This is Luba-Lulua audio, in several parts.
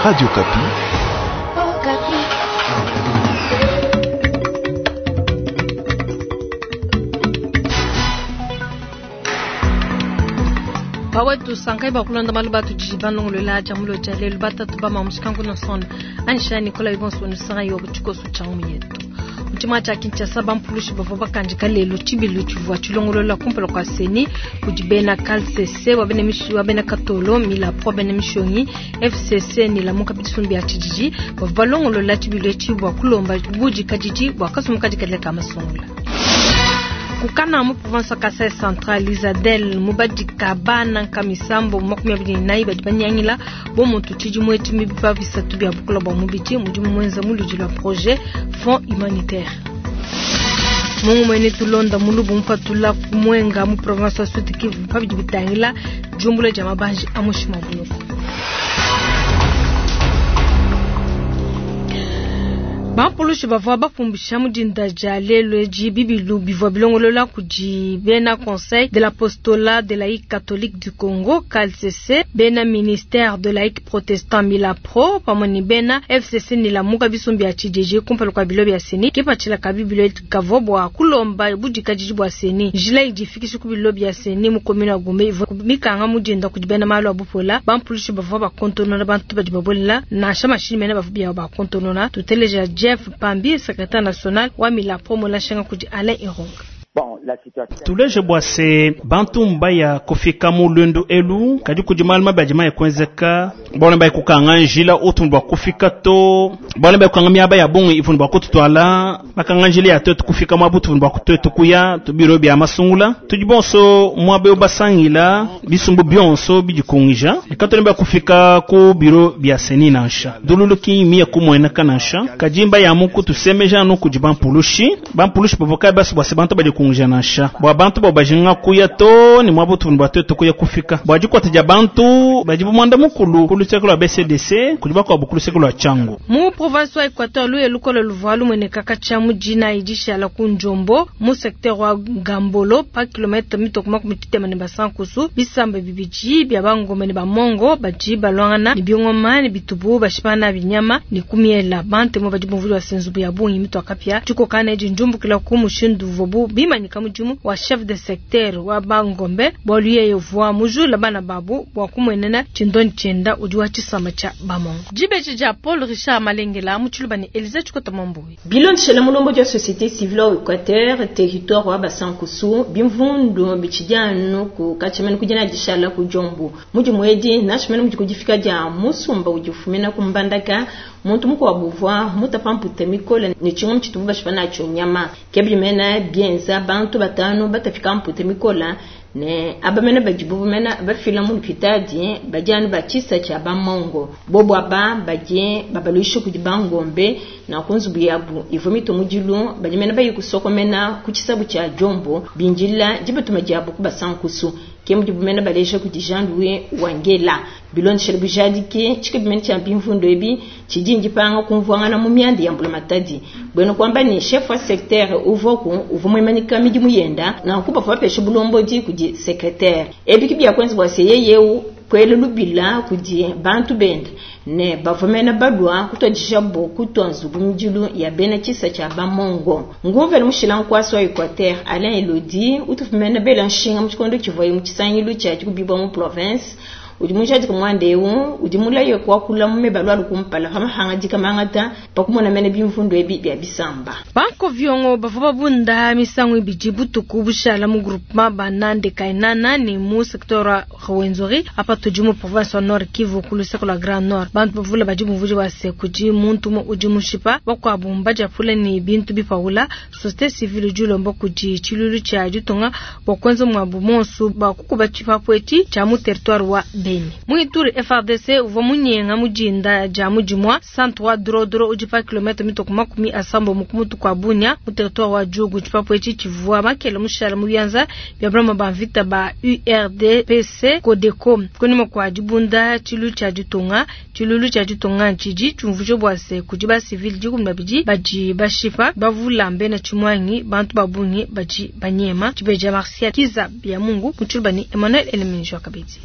Radio Okapi. Bawetu sankai bakulonda malu batudi balongolola dia mulo dia lelu batatu ba mamushikangu nosonda anisha Nicolas Ibonso nusanga yo tshikoso tshia ngumu yetu. Mu tshimua tshia Kinshasa bampulushi bavua bakandika lelu tshibilu tshivua tshilongolola kumpala kua CENI kudi bena CALCC wa bena mishi wa bena Katolo Milapo wa bena Mishonyi FCC ne Lamuka bisumbu bia tshididi bavua balongolola tshibilu etshi bua kulomba budikadidi bua kasumbu kadikadile ka masungula. Kukana mu province wa Kasai Central Isadel mubadika bana nkamisambo 24 badi banyangila bo muntu tshidimu etshi mibipa bisatu bia bukula bua mubidi mudimu muenza mu ludi lua projet Fonds humanitaire. Mungu mwene tulonda mulubu mupatula kumwenga mu province wa Sud Kivu pabidi bitangila jumbula dia mabanji a mushima buloko. Bampulushi bavua bapumbisha mu dinda dia lelu edi bibilu bivua bilongolola kudi bena Conseil de l'apostolat de laïque catholique du Congo CALCC, bena ministère de laïque protestant Milapro pamue ne bena FCC ne Lamuka bisumbu bia tshididi kumpala kua bilo bia CENI. Kipatshila ka bibilu ebi kavua bua kulomba budikadidi bua CENI. Njila idi ifikisha ku bilo bia CENI mu commune wa Gombe ivua mikanga mu dinda kudi bena malu a bupola. Bampulushi bavua bakontonona bantu badi babuelela nansha mashinyi mene bavua biabu bakontonona. Tuteleja Jeff Pambi, secrétaire national wa Milapo mulashenga kudi Alain Ironga. Tuleje bua se bantu mbaya kufika mu lwendo elu kadi kudi malu mabi adi maye kuenzeka bana baye kukanga njila utu bua kufika to bana baye kukanga miaba ya bungi ivunu bua kututwala bakanga njila ya twetu kufika muabu tuvunu bua twetu kuya tubiro bia masungula tudi bonso muabe basangila bisumbu bionso bidikungija ekatoni baya kufika ku biro bia CENI nansha dululuki miye kumueneka nansha kadi mbaya muku tusemeja anu kudi bampulushi bampulushi bavoka basi bua se bantu badikunguja nansha bua bantu bo bajinga kuya to ni muabu tuvunu bua twetu kuya kufika bua dikwata dia bantu badi bumwanda mukulu ku luseke lua BCDC kudi bakuabu ku luseke lua Tshangu. Mu province wa Equateur luye lukolo luvua lumueneka katshia mu dina idishala ku Njombo mu secteur wa Gambolo pa kilomètre mitoko makumi tshitema ne basankusu bisamba bibidi bia bangombe ne bamongo badi balwangana ne bingoma ne bitubu bashipana binyama ne kumiela bantemo badi bumvuli wa senzubu ya bungi mitu akapia tshikokana edi njumbukila ku mushindu uvuabu bimanyika mudimu wa chef de secteur wa bangombe bualu yeye uvua mujula bana babu bua kumuenena tshindoni tshienda udi wa tshisamba tshia bamongo. Dibeji dia Paul Richard Malengela mu tshiluba ne Elise Tshikota Mambuyi. Bilondeshela mulombo dia société civile wa Equateur territoire wa Basankusu bimvundu bitshidi ku katshimene kudina dishala ku Jombo mudimu edi nashimene mudi kudifika dia musumba udi ufumina ku Mbandaka muntu mukuabu uvua mutapa mpute mikole ne tshingoma tshitubu bashipa natshio nyama kebimena bienza bantu batanu batafika mpute mikole ne abamene badibu bamena bafila mu lupitadi badi anu batshisa tshia bamongo bobo aba badi babaluisha kudi bangombe na ku nzubu yabu ivua mitu mudilu badi mena bayi kusokomena ku tshisabu tshia Jombo bindila dibatuma diabu ku basankusu ke mudibu mena baleja kudi Jean Louis Wangela bilondeshela bujadiki tshikabimene tshia bimvundu ebi tshidi ndipanga kumvuangana mu mianda ya mbulamatadi bwena kwamba ni chef wa secteur uvoku uvua muimanika midimu yenda nanku bavua bapesha bulombodi kudi secrétaire ebi kibia kwenza bua se yeyeu kwela lubila kudi bantu bende ne bavua mena balua kutwadisha bo kutwa nzubu midilu ya bena tshisa tshia bamongo nguvene mushila nkwasi wa Equateur Alain Elodie utufumena bela nshinga mu tshikondo tshivuaye mu tshisangilu tshia tshikubibwa mu province udi mujadika mwanda eu udi mulaye kuakula mu mebalu alu kumpala pa mahangadika mangata pakumona mene bimvundu ebi bia bisamba. Banko viongo bavua babunda misangu ibidi butuku bushala mu groupement banande kainana ne mu secteur wa Rwenzori apa tudi mu province wa Nord Kivu ku luseke lua Grand Nord. Bantu bavula badi bumvudi wa se kudi muntu umue udi mushipa bakuabu mbadiapula ne bintu bipaula. Société civile udi ulomba kudi tshilulu tshia ditunga bua kuenza muabu monsu bua kukuba tshipapu etshi tshia mu territoire wa Beni. Mu Ituri FARDC uvua munyenga mujinda dia mudimua centre wa Drodro udi pa kilomètre mitoko makumi asambo mu kumutu kwa Bunia mu territoire wa Djugu. Tshipapu etshi tshivua makele mushala mu bianza bia baloma ba mvita ba URDPC Codeco kunyima kua dibunda tshilu tshia ditunga tshilulu tshia ditunga tshidi tshiumvuija bua se kudi ba civil dikumi babidi badi bashipa bavula mbena tshimwangi bantu ba bungi badi banyema. Tshibeja Martial Kiza bia Mungu mu tshiluba ne Emmanuel Eleminjo kabidi.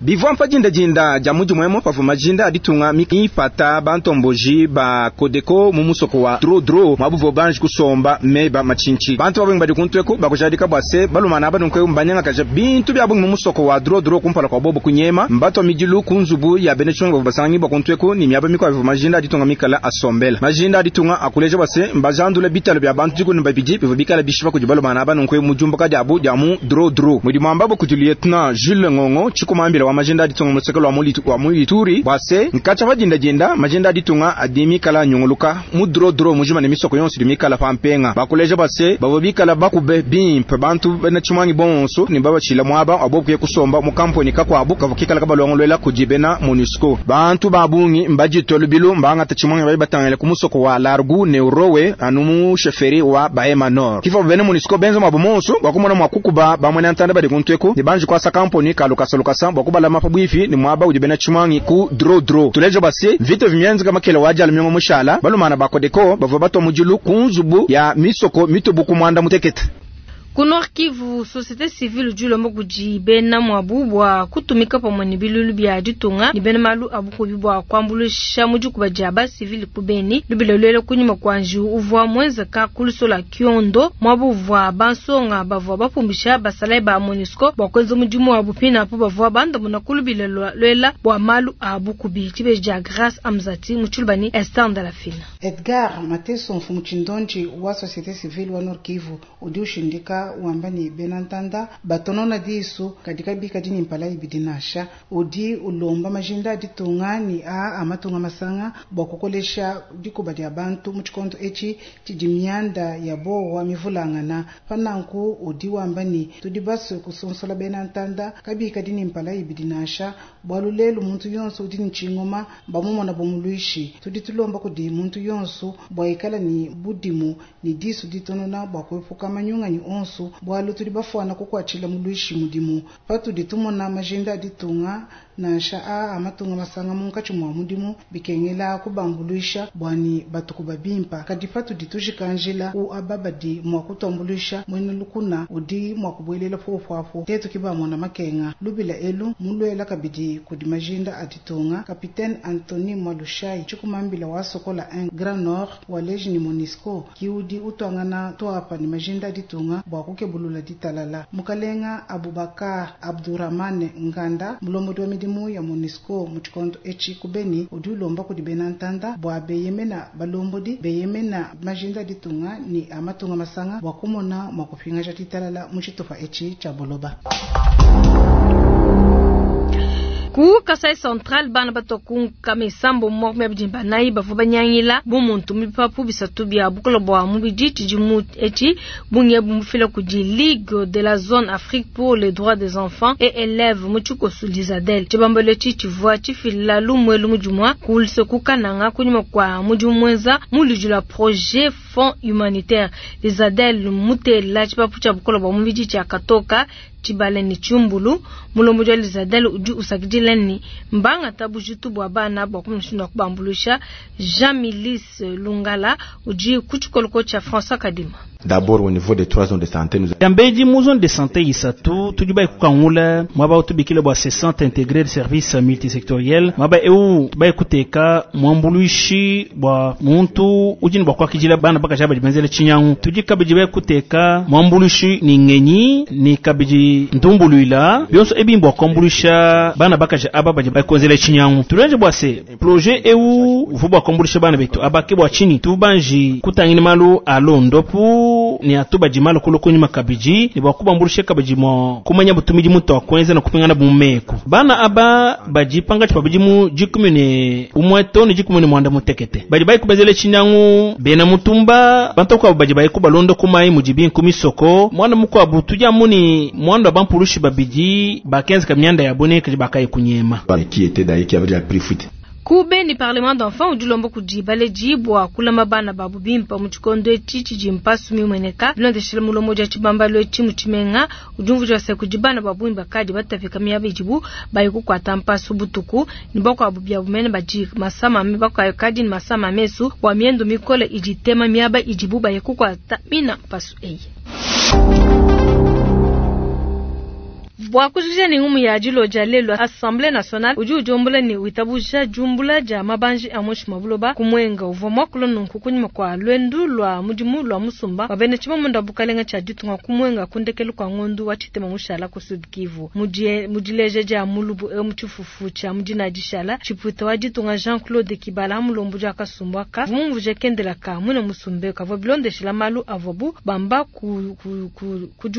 Bivua mpa dindadinda dia mudimu emu pavua majinda a ditunga mipata bantomboji ba Codeco mu musoko wa Drodro mwabu banji kusomba meba machinchi. Bantu babungi badi kuntweku bakujadika bua se balumana abanunku mbanyangakaja bintu bya bungi mu musoko wa Drodro kumpala kwa bobo kunyema mbatwa midilu ku nzubu ya bene chongo basangi bakuntweku ni miaba mikwa majinda a ditunga mikala asombela. Majinda a ditunga akuleja bua se mbajandula bitalo bya bantu dikuni babidi bivua bikala bishipa kudi balumana abanunku mu jumbuka diabu dia mu Drodro. Mudimu ambabo kudi lieutenant Jules Ngongo chikumambila wa majinda aditunga musekelo wa mulituri bwase nkacha majinda jinda majinda aditunga adimikala nyunguluka mu Drodro mujima ne misoko yonse dimikala pampenga bakuleja base bavobikala bakube bimpe bantu bena chimwangi bonso ni babachila mwaba abokuye kusomba mu kamponi kakwabu kavukikala kabalongolwela kujibena MONUSCO bantu babungi mbajitolo bilu mbanga tachimwangi bayi batangela ku musoko wa Largu Neurowe anumu sheferi wa Bahema Nord kifo bene MONUSCO benzo mabumonso bakumona mwakukuba bamwe ntanda bali kuntweko ni banji kwasa kamponi kalukasa lukasa bakubala mapabwifi ni mwaba ujibena chimwangi ku Drodro tulejo basi vito vimyenzi kama kele waja lumyongo mushala balumana bakodeko bavua batwa mujulu kunzubu ya misoko mitubu kumwanda mutekete. Ku Nord Kivu, société civile udi kudi bena mwabu bua kutumika pamue ne bilulu bia ditunga ne bena malu abukubi bua kuambuluisha mu dikuba dia ba civile ku Beni. Lubila lwele kunyima kua njiwu uvua muenzeka ku lusola Kiondo mwabu uvua bansonga bavua bapumbisha basalayi ba MONUSCO bua kuenza mudimu wabu pinapo bavua bandamuna ku lubila lwela bua malu abukubi. Tshibeji dia Grace Amzati mu Tshilubani Esther Ndalafina. Edgar Mateso mfumu tshindonji wa société civile wa Nord Kivu udi ushindika wamba ni benantanda batonona disu katika bika dini mpala ibidi nasha udi ulomba majinda aditunga ni a amatunga masanga bua kukolesha dikuba dia bantu mu tshikondo etshi tshidi mianda ya bowa mivulangana pananku udi wamba ni tudi basue kusonsola benantanda kabika dini mpala ibidi nasha bwalu lelu muntu yonso udi ni tshingoma bamumona bomuluishi tudi tulomba kudi muntu yonso bua ikala ni budimu ni disu ditonona bua kuepuka manyunganyi onso bwalu tudi bafuana kukwatshila muluishi mudimu patudi tumona majinda aditunga nansha a amatunga masanga munkatshi mwa mudimu bikengela kubambuluisha bwani batuku babimpa kadi patudi tujikanjila u ababadi mwa kutuambuluisha mwene lukuna udi mwa kubuelela fofofo tetu kibamona makenga lubila elu mulwela kabidi kudi majinda aditunga Capitaine Anthony Mwalushai tshikumambila wa Sokola 1 Grand Nord wa leji ni MONUSCO kiudi utwangana twapa ni majinda aditunga bua kukebulula ditalala mukalenga Abubakar Abdurrahman Nganda mulombodi wa midimu ya MONUSCO mu tshikondo etshi ku Beni udi ulomba kudi bena ntanda bua beyemena balombodi beyemena majinda ditunga ni amatunga masanga bua kumona mua kupingaja ditalala mu tshitupa etshi tshia boloba. Ku Kasai Central bana batokunka misambo mwa bidimba nayi bavua banyangila bumuntu mipapu bisatu bia bukola bua mubidi tshidimu etshi bunge bumufila kudi Ligue de la Zone Afrique pour les droits des enfants et élèves mu tshikosu Lizadel. Tshibambalo etshi tshivua tshifila lumwe lumudimua kulise kukananga kunyima kwa mudimu mwenza muludi la projet fonds humanitaire Lizadel mutela tshipapu tshia bukola bua mubidi tshia katoka tshibale ni tshiumbulu mulombo wa Lizadel udi usakidila ni mbanga tabujitu bua bana bua kumushinda kubambulusha Jean Milis Lungala udi kutshikoloko tsha François Kadima. D'abord au niveau des trois zones de santé nous Yambeji mu zone de santé isatu tudi bai kukangula mwaba utubikile bua se centre intégré de service multisectoriel mwaba eu bai kuteka mwambuluishi bua muntu ujini bua kwakijila bana bakaja benzele chinyangu tudi kabidi bai kuteka mwambuluishi ni ngenyi ni kabidi ndumbuluila bionso ebimbo kwambulisha bana bakaja aba baje bai konzele chinyangu tulenje bua se projet eu vubwa kwambulisha bana betu abake bua chini tubanji kutangini malu alondopu ni atuba jimalo kulo kunyuma kabiji ni bwakubambulisha kabiji mo kumanya butumiji muto akwenza na kupingana bumeko bana aba bajipanga chipabiji mu jikumene umweto ni jikumene mwanda mutekete baji bai kubezele chinyangu bena mutumba bantu kwa baji bai kubalondo kumai mujibi nkumisoko mwana mukwa butuja muni mwanda bampulushi babiji bakenza kamyanda ya bone kaji bakai kunyema qui était d'ailleurs qui avait déjà pris fuite. Kube ni parlement d'enfants udi ulomba kudi baleji bua kulama bana babu bimpa mu tshikondo etshi tshidi mpasu mimueneka bilondeshele mulomo dia tshibambalo etshi mu tshimenga udi umvuija se kudi bana babu bakadi batapika miaba idibu bayi kukuata mpasu butuku ni bakuabu biabu mene badi masama me bakadi ni masama mesu bua miendo mikole idi tema miaba idibu bayi kukuata mina mpasu eyi. Bua kujikija ne ngumu ya dilo dia lelu, Assemblee nationale udi udiombola ne witabuja diumbula dia mabanji a muinshi mua buloba ku Mwenga. Uvua muakula nunku kunyima kua luendu lua mudimu lua musumba wa bena tshibambandu wa bukalenga tshia ditunga ku Mwenga ku ndekelu kua ngondu wa tshitema mushala ku Sud Kivu. Mu dileja dia mulubu eu mu tshifufu tshia mu dina dishala, tshipuita wa ditunga Jean-Claude Kibala mulombodi wa kasumbu aka uvua mumvuije kendela ka muina musumba kavua bilondeshela malu avuabu bamba ku, ku, ku, ku,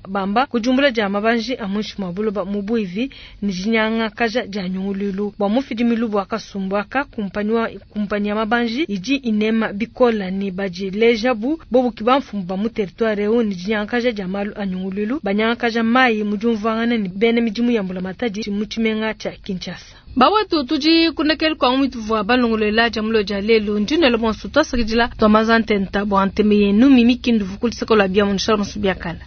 bamba ku diumbula dia mabanji a muinshi mua buloba mu buivi ne dinyangakaja dia nyunguluilu. Bua mufidi milubu wa kasumbu aka, kumpanyi wa kumpanyi ya mabanji idi inema bikola ne badileja bu bobu ki bamfumu ba mu territoire eu ne dinyangakaja dia malu a nyunguluilu, banyangakaja mayi mu diumvuangana ne bena midimu ya mbulamatadi mu tshimenga tshia Kinshasa. Bawetu tudi kundekelu kua ngumi tuvua balongolola dia mulo dia lelu ndi nelo bonso tuasakidila tuamaza ntenta bua nteme yenu mimi kindu vukulu seko la bia mu nshala biakala.